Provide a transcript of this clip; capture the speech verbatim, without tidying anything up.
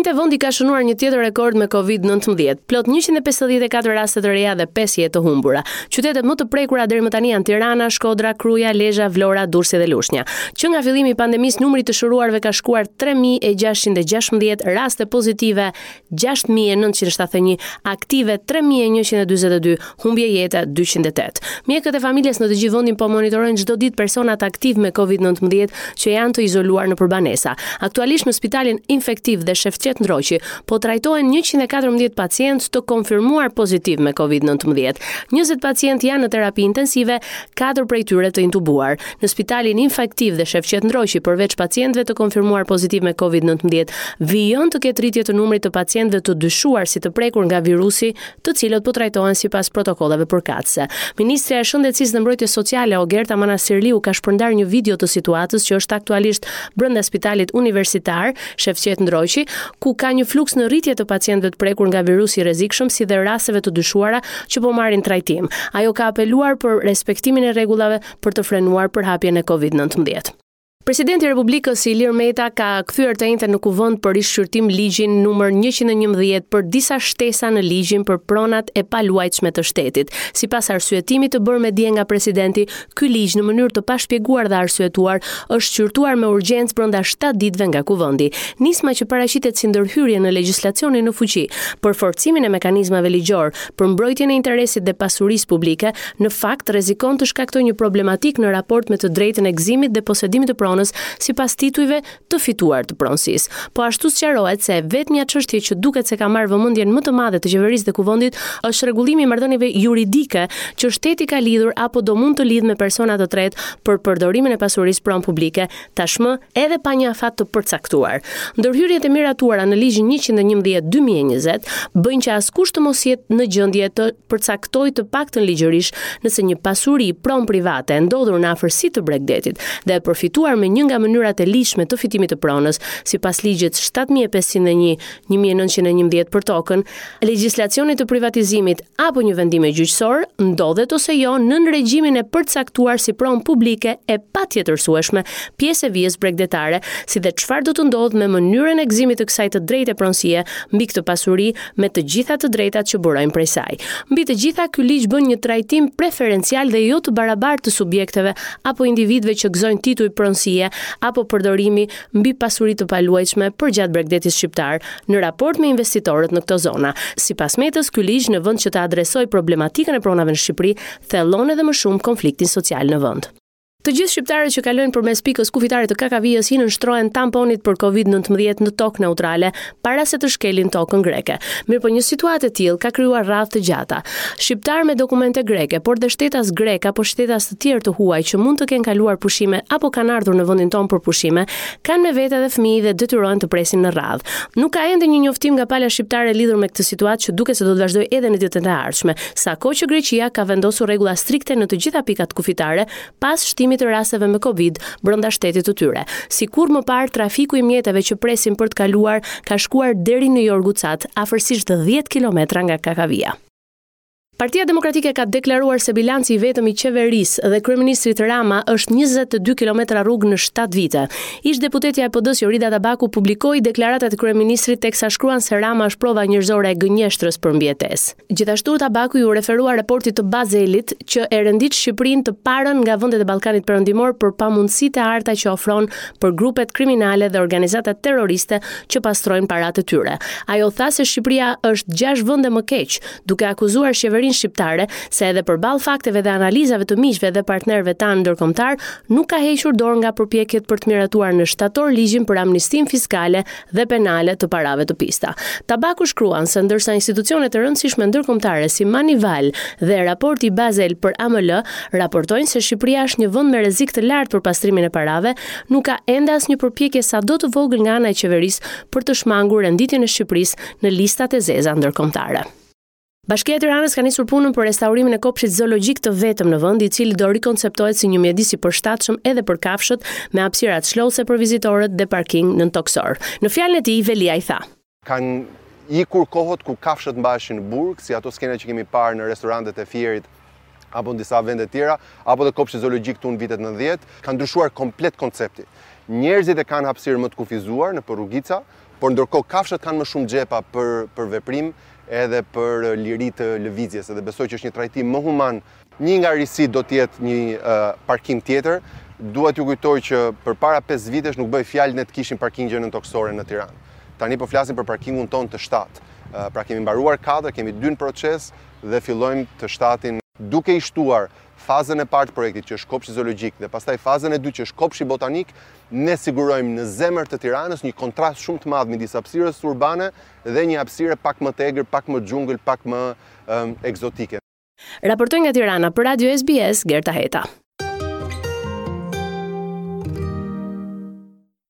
enjte vendi ka shënuar një tjetër rekord me Covid nëntëmbëdhjetë, plot njëqind e pesëdhjetë e katër raste të reja dhe pesë jetë të humbura. Qytetet më të prekura deri më tani janë Tirana, Shkodra, Kruja, Lezha, Vlora, Durrësi dhe Lushnja. Që nga fillimi i pandemisë, numri i të shëruarve ka shkuar tre mijë e gjashtëqind e gjashtëmbëdhjetë, raste pozitive gjashtë mijë e nëntëqind e shtatëdhjetë e një, aktive tre mijë e njëqind e dyzet e dy, humbje jete dyqind e tetë. Mjekët e familjes në të gjithë vendin po monitorojnë çdo ditë personat aktiv me Covid nëntëmbëdhjetë që janë të izoluar nëpër banesa. Aktualisht në spitalin infektiv dhe Shefqet Ndroqi po trajtohen njëqind e katërmbëdhjetë pacientë të konfirmuar pozitiv me Covid nëntëmbëdhjetë. Njëzet pacientë janë në terapi intensive, katër prej tyre të intubuar. Në spitalin infektiv dhe Shefqet Ndroqi, përveç pacientëve të konfirmuar pozitiv me Covid nëntëmbëdhjetë, vijon të ketë rritje të numrit të pacientëve të dyshuar si të prekur nga virusi, të cilët po trajtohen sipas protokolleve përkatëse. Ministrja e Shëndetësisë dhe Mbrojtjes Sociale Ogerta Manastirliu ka shpërndar një video të situatës që është aktualisht brenda spitalit universitar Shefqet Ndroqi, ku ka një fluks në rritje të pacientëve të prekur nga virusi i rrezikshëm, si dhe rasteve të dyshuara që po marrin trajtim. Ajo ka apeluar për respektimin e rregullave për të frenuar përhapjen e Covid nëntëmbëdhjetë. Presidenti i Republikës Ilir Meta ka kthyer të enjten në kuvend për rishqyrtim ligjin numër njëqind e njëmbëdhjetë për disa shtesa në ligjin për pronat e paluajtshme të shtetit. Sipas arsyetimit të bërë me dije nga presidenti, ky ligj në mënyrë të pashpjeguar dhe arsyetuar është shqyrtuar me urgjencë brenda shtatë ditëve nga kuvendi. Nisma që paraqitet si ndërhyrje në legjislacionin në fuqi për forcimin e mekanizmave ligjor për mbrojtjen e interesit dhe pasurisë publike, në fakt rrezikon të shkaktojë një problematik në raport me të drejtën e gëzimit dhe posedimit të pronës sipas titujve të fituar të pronësisë. Po ashtu sqarohet se vetmja çështje që duket se ka marrë vëmendjen më të madhe të qeverisë dhe kuvendit është rregullimi i marrëdhënieve juridike që shteti ka lidhur apo do mund të lidhë me persona të tretë për përdorimin e pasurisë pronë publike, tashmë edhe pa një afat të përcaktuar. Ndërhyrjet e miratuara në ligjin njëqind e njëmbëdhjetë dy mijë e njëzet bëjnë që askush të mos jetë në gjendje të përcaktojë të paktën ligjërisht nëse një pasuri pronë private e ndodhur në afërsi të bregdetit dhe e përfituar me një nga mënyrat e ligjshme të fitimit të pronës, sipas ligjit shtatë mijë e pesëqind e një, një mijë e nëntëqind e njëmbëdhjetë për tokën, legjislacionit të privatizimit apo një vendime gjyqësor, ndodhet ose jo nën regjimin e përcaktuar si pronë publike e patjetërsueshme, pjesë e vijës bregdetare, si dhe çfarë do të ndodhë me mënyrën e gëzimit të kësaj të drejte pronësie mbi këtë pasuri me të gjitha të drejtat që burojnë prej saj. Mbi të gjitha, ky ligj bën një trajtim preferencial dhe jo të barabartë të subjekteve apo individëve që gëzojnë tituj pronësie apo përdorimi mbi pasuri të paluajtshme përgjatë bregdetit shqiptar në raport me investitorët në këto zona. Sipas Metës, ky ligj në vend që të adresojë problematikën e pronave në Shqipëri, thellon edhe më shumë konfliktin social në vend. Të gjithë shqiptarët që kalojnë përmes pikës kufitare të Kakavijës i nënshtrohen tamponit për Covid nëntëmbëdhjetë në tokë neutrale para se të shkelin tokën greke. Mirëpo një situatë e tillë ka krijuar radhë të gjata. Shqiptar me dokumente greke, por dhe shtetas grek apo shtetas të tjerë të huaj që mund të kenë kaluar pushime apo kanë ardhur në vendin tonë për pushime, kanë me vete edhe fëmijë dhe detyrohen të presin në radhë. Nuk ka ende një njoftim nga pala shqiptare lidhur me këtë situatë që duket se do të vazhdojë edhe në ditët e ardhshme, sa kohë që Greqia ka vendosur rregulla strikte në të gjitha pikat kufitare pas shtimit të rasteve me Covid brenda shtetit të tyre. Si kur më parë, trafiku i mjeteve që presin për të kaluar ka shkuar deri në Jorgucat, afërsisht dhjetë kilometra nga Kakavia. Partia Demokratike ka deklaruar se bilanci i vetëm i qeverisë dhe kryeministrit Rama është njëzet e dy kilometra rrugë në shtatë vite. Ish deputetja e P D-s Jorida Tabaku publikoi deklaratat e kryeministrit teksa shkruan se Rama është prova njerëzore e gënjeshtrës për mbijetesë. Gjithashtu Tabaku iu referua raportit të Bazelit që e rendit Shqipërinë të parën nga vendet e Ballkanit Perëndimor për pamundësitë e arta që ofron për grupet kriminale dhe organizatat terroriste që pastrojnë paratë e tyre. Ajo tha se Shqipëria është gjashtë vende më keq, duke akuzuar qeverinë shqiptare se edhe përballë fakteve dhe analizave të miqve dhe partnerëve tanë ndërkombëtar nuk ka hequr dorë nga përpjekjet për të miratuar në shtator ligjin për amnistinë fiskale dhe penale të parave të pista. Tabaku shkruan se ndërsa institucionet e rëndësishme ndërkombëtare si Manival dhe raporti Basel për A M L raportojnë se Shqipëria është një vend me rrezik të lartë për pastrimin e parave, nuk ka ende asnjë përpjekje sado të vogël nga ana e qeverisë për të shmangur renditjen e Shqipërisë në listat e zeza ndërkombëtare. Bashkia e Tiranës ka nisur punën për restaurimin e kopshtit zoologjik të vetëm në vend, i cili do rikonceptohet si një mjedis i përshtatshëm edhe për kafshët, me hapësira çlodhse për vizitorët dhe parking nën toksor. Në fjalën e tij, Veliaj tha: Kanë ikur kohët ku kafshët mbaheshin në burg, si ato skena që kemi parë në restorantet e Fierit apo në disa vende tjera, apo dhe kopshti zoologjik këtu në vitet nëntëdhjetë, ka ndryshuar komplet koncepti. Njerëzit e kanë hapësirë më të kufizuar në rrugica, Por ndërkohë kafshët kanë më shumë xhepa për për veprim edhe për liri të lëvizjes, edhe besoj që është një trajtim më human. Një nga risitë do të jetë një uh, parkim tjetër. Dua t'ju kujtoj që përpara pesë vitesh nuk bëj fjalë ne të kishim parkingje nëntokësore në Tiranë. Tani po flasim për parkingun tonë të shtatë. Pra kemi mbaruar katër, kemi dy në proces dhe fillojmë të shtatin, duke i shtuar fazën e parë të projektit, që është kopshti zoologjik, dhe pastaj fazën e dytë, që është kopshti botanik, ne sigurojmë në zemër të Tiranës një kontrast shumë të madh midis hapësirës urbane dhe një hapësire pak më të egër, pak më xhungël, pak më um, ekzotike. Raportoi nga Tirana për Radio S B S, Gerta Heta.